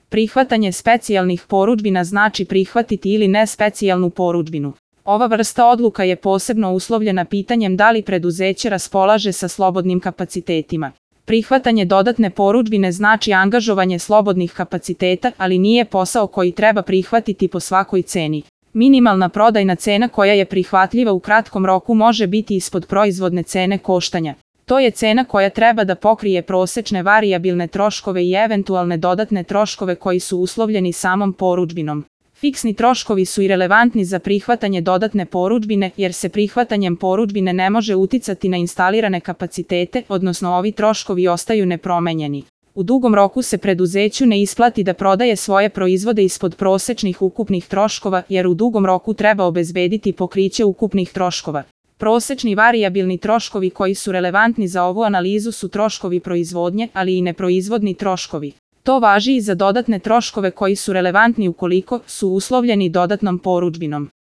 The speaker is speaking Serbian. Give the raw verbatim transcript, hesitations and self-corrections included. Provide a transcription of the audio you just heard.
Prihvatanje specijalnih porudžbina znači prihvatiti ili ne specijalnu porudžbinu. Ova vrsta odluka je posebno uslovljena pitanjem da li preduzeće raspolaže sa slobodnim kapacitetima. Prihvatanje dodatne porudžbine znači angažovanje slobodnih kapaciteta, ali nije posao koji treba prihvatiti po svakoj ceni. Minimalna prodajna cena koja je prihvatljiva u kratkom roku može biti ispod proizvodne cene koštanja. To je cena koja treba da pokrije prosečne varijabilne troškove i eventualne dodatne troškove koji su uslovljeni samom porudžbinom. Fiksni troškovi su i relevantni za prihvatanje dodatne porudžbine, jer se prihvatanjem porudžbine ne može uticati na instalirane kapacitete, odnosno ovi troškovi ostaju nepromenjeni. U dugom roku se preduzeću ne isplati da prodaje svoje proizvode ispod prosečnih ukupnih troškova, jer u dugom roku treba obezbediti pokriće ukupnih troškova. Prosečni varijabilni troškovi koji su relevantni za ovu analizu su troškovi proizvodnje, ali i neproizvodni troškovi. To važi i za dodatne troškove koji su relevantni ukoliko su uslovljeni dodatnom porudžbinom.